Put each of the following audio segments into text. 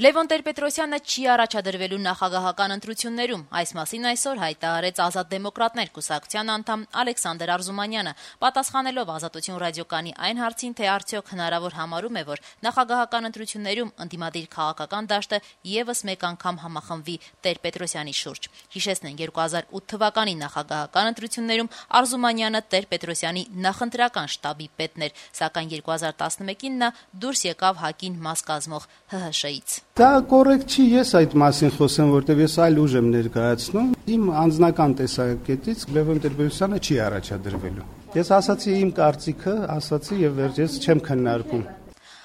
Լևոն Տեր-Պետրոսյանը չի առաջադրվելու նախագահական ընտրություններում, այս մասին այսօր հայտարարեց Ազատ դեմոկրատներ կուսակցության անդամ Ալեքսանդր Արզումանյանը, պատասխանելով Ազատություն ռադիոկայանի այն հարցին, թե արդյոք հնարավոր համարում է, որ նախագահական ընտրություններում ընդդիմադիր քաղաքական դաշտը ևս մեկ անգամ համախմբվի Տեր-Պետրոսյանի շուրջ։ Հիշեցնենք 2008 թվականի նախագահական ընտրություններում Արզումանյանը Տեր-Պետրոսյանի նախընտրական շտաբի պետն էր, սակայն 2011-ին նա դուրս եկավ ՀԱԿ-ին մաս կազմող ՀՀՇ-ից։ Դա կոռեկտ չի, ես այդ մասին խոսեմ, որտեղ ես այլ ուժ եմ ներկայացնում։ Իմ անձնական տեսակետից Լևոն Տեր-Պետրոսյանը չի առաջադրվելու։ Ես ասացի իմ կարծիքը, ասացի եւ վերջերս չեմ քննարկում։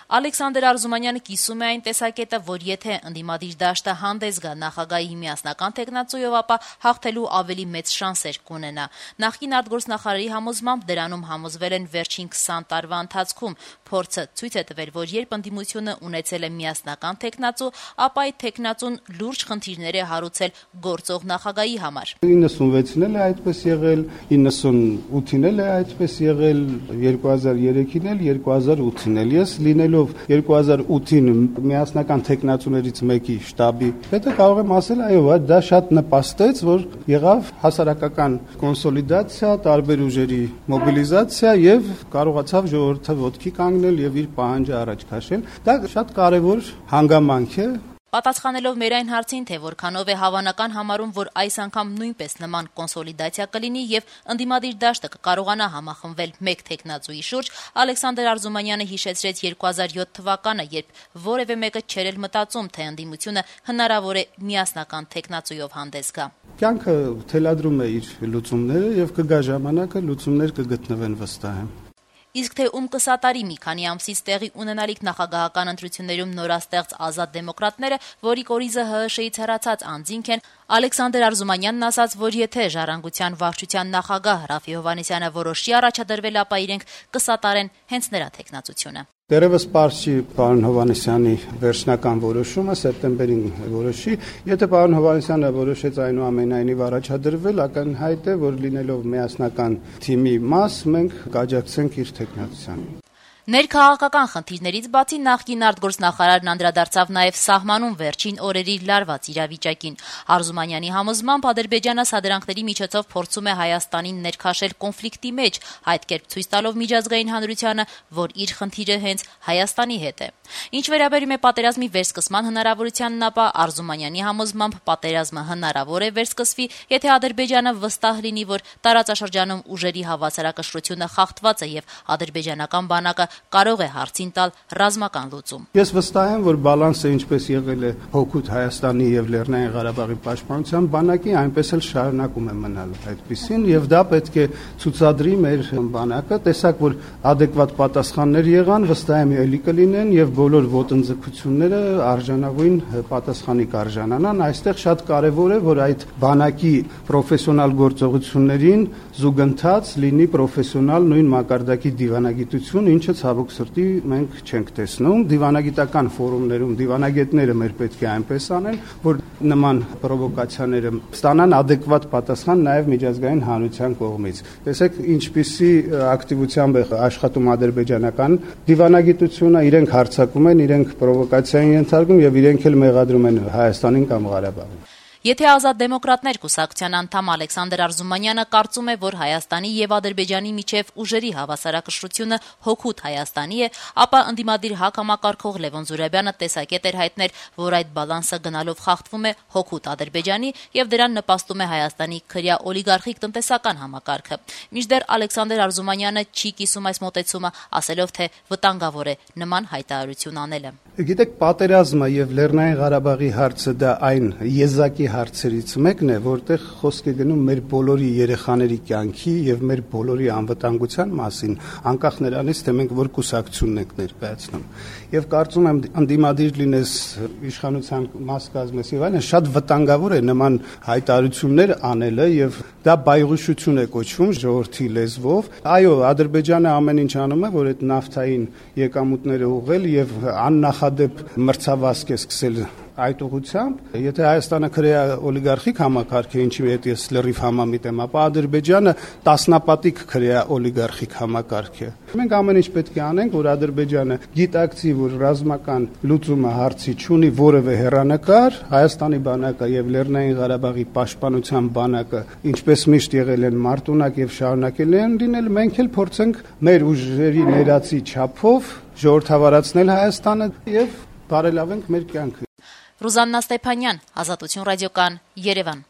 Ալեքսանդր Արզումանյանը կիսում է այն տեսակետը, որ եթե ընդդիմադիր դաշտը հանդես գա նախագահի միասնական թեկնածուով, ապա հաղթելու ավելի մեծ շանսեր կունենա։ Նախկին արտգործնախարարի համոզմամբ դրանում համոզվել են վերջին 20 տարվա ընթացքում։ Փորձը ցույց է տվել, որ երբ ընդդիմությունը ունեցել է միասնական թեկնածու, ապա այդ թեկնածուն լուրջ խնդիրներ է հարուցել գործող նախագահի համար։ 96-ին էլ է այդպես եղել, 98-ին էլ է այդպես եղել, 2003-ին էլ, 2008-ին էլ։ Ես լինելով 2008-ին միասնական թեկնածուներից մեկի շտաբի հետո կարող եմ ասել, այո, դա շատ նպաստեց, որ եղավ հասարակական կոնսոլիդացիա, տարբեր ուժերի մոբիլիզացիա եւ կարողացավ ժողովուրդը ոտքի կանգնել եւ իր պահանջը առաջ քաշել։ Դա շատ կարեւոր հանգամանք է։ Պատասխանելով մեր այն հարցին, թե որքանով է հավանական համարում, որ այս անգամ նույնպես նման կոնսոլիդացիա կլինի եւ ընդդիմադիր դաշտը կկարողանա համախմբվել մեկ թեկնածուի շուրջ, Ալեքսանդր Արզումանյանը հիշեցրեց 2007 թվականը, երբ որևէ մեկը չէր էլ մտածում, թե ընդդիմությունը հնարավոր է միասնական թեկնածուով հանդես գա։ Կյանքը թելադրում է իր լուծումները եւ կգա ժամանակը լուծումներ կգտնվեն վստահ եմ։ Իսկ թե ում կսատարի մի քանի ամսից տեղի ունենալիք նախագահական ընտրություններում նորաստեղծ Ազատ դեմոկրատները, որի կորիզը ՀՀՇ-ից հեռացած անձինք են, Ալեքսանդր Արզումանյանն ասաց, որ եթե Ժառանգության վարչության նախագահ Ռաֆի Հովհաննիսյանը որոշի առաջադրվել, ապա իրենք կսատարեն հենց նրա թեկնածությունը։ Դերևս պարզ չի պարոն Հովհաննիսյանի վերջնական որոշումը սեպտեմբերին որոշի, եթե պարոն Հովհաննիսյանը որոշեց այնուամենայնիվ առաջադրվել, ակնհայտ է, որ լինելով միասնական թիմի մաս, մենք կաջակցենք իր թեկնածությանը։ Ներքաղաքական խնդիրներից բացի նախկին արտգործնախարարն անդրադարձավ նաև սահմանում վերջին օրերի լարված իրավիճակին։ Արզումանյանի համոզմամբ Ադրբեջանը սադրանքների միջոցով փորձում է Հայաստանին ներքաշել կոնֆլիկտի մեջ, այդ կերպ ցույց տալով միջազգային հանրությանը, որ իր խնդիրը հենց Հայաստանի հետ է։ Ինչ վերաբերում է պատերազմի վերսկսման հնարավորությանն, ապա Արզումանյանի համոզմամբ պատերազմը հնարավոր է վերսկսվի, եթե Ադրբեջանը վստահ լինի, որ տարածաշրջանում ուժերի հավասարակշռությունը խախտված է եւ ադրբեջանական բանակը կարող է հարցին տալ ռազմական լուծում։ Ես վստահ եմ, որ բալանսը ինչպես եղել է հօգուտ Հայաստանի եւ Լեռնային Ղարաբաղի պաշտպանության բանակի, այնպես էլ շարունակում է մնալ այդպիսին եւ դա պետք է ցուցադրի մեր բանակը, տեսակ որ adekvat պատասխաններ եղան, վստահ եմ ելի կլինեն եւ բոլոր ոտնձգությունները արժանավուն պատասխանի կարժանանան։ Այստեղ շատ կարեւոր է, որ այդ բանակի պրոֆեսիոնալ գործողություններին զուգընթաց լինի պրոֆեսիոնալ նույն մակարդակի դիվանագիտություն, ինչը ցավոք սրտի մենք չենք տեսնում։ Դիվանագիտական ֆորումներում դիվանագետները մեր պետք է այնպես անեն, որ նման պրովոկացիաները ստանան adekvat պատասխան նաեւ միջազգային հանրության կողմից։ Տեսեք ինչպիսի ակտիվությամբ է աշխատում ադրբեջանական դիվանագիտությունը, իրենք հարձակում են, իրենք պրովոկացիային ենթարկում եւ իրենք էլ մեղադրում են Հայաստանին կամ Ղարաբաղին։ Եթե Ազատ դեմոկրատներ կուսակցության անդամ Ալեքսանդր Արզումանյանը կարծում է, որ Հայաստանի եւ Ադրբեջանի միջև ուժերի հավասարակշռությունը հօգուտ Հայաստանի է, ապա ընդդիմադիր ՀԱԿ համակարգող Լևոն Զուրաբյանը տեսակետ էր հայտնել, որ այդ բալանսը գնալով խախտվում է հօգուտ Ադրբեջանի եւ դրան նպաստում է Հայաստանի քրյա օլիգարխիկ տնտեսական համակարգը։ Մինչդեռ Ալեքսանդր Արզումանյանը չի կիսում այս մոտեցումը, ասելով, թե վտանգավոր է նման հայտարարություն անելը։ Գիտեք, պատերազմը եւ Լեռնային Ղարաբաղի հարցը դա այն եզակի հարցերից մեկն է, որտեղ խոսք է գնում մեր բոլորի երեխաների կյանքի եւ մեր բոլորի անվտանգության մասին, անկախ նրանից, թե մենք որ կուսակցություն ենք ներկայացնում։ Եվ կարծում եմ ընդդիմադիր լինես, իշխանության մաս կազմես եւ այլն, շատ վտանգավոր է նման հայտարարություններ անելը եւ դա բայղուշություն է կոչվում ժողովրդի լեզվով։ Այո, Ադրբեջանը ամեն ինչ անում է, որ այդ նավթային եկամուտները ուղղել եւ աննախադեպ մրցավազք է սկսել այդ ուղղությամբ, եթե Հայաստանը քրեա օլիգարխիկ համակարգ է, ինչի հետ ես լրիվ համամիտ եմ, ապա Ադրբեջանը տասնապատիկ քրեա օլիգարխիկ համակարգ է։ Մենք ամեն ինչ պետք է անենք, որ Ադրբեջանը գիտակցի, որ ռազմական լուծումը հարցի չունի որևէ հեռանկար, Հայաստանի բանակը եւ Լեռնային Ղարաբաղի պաշտպանության բանակը, ինչպես միշտ եղել են մարտունակ եւ շարունակել են լինել, մենք էլ փորձենք մեր ուժերի ներածի չափով ժողովրդավարացնել Հայաստանը եւ բարելավենք մեր կյանքը։ Ռուզաննա Ստեփանյան, Ազատություն ռադիոկան, Երևան։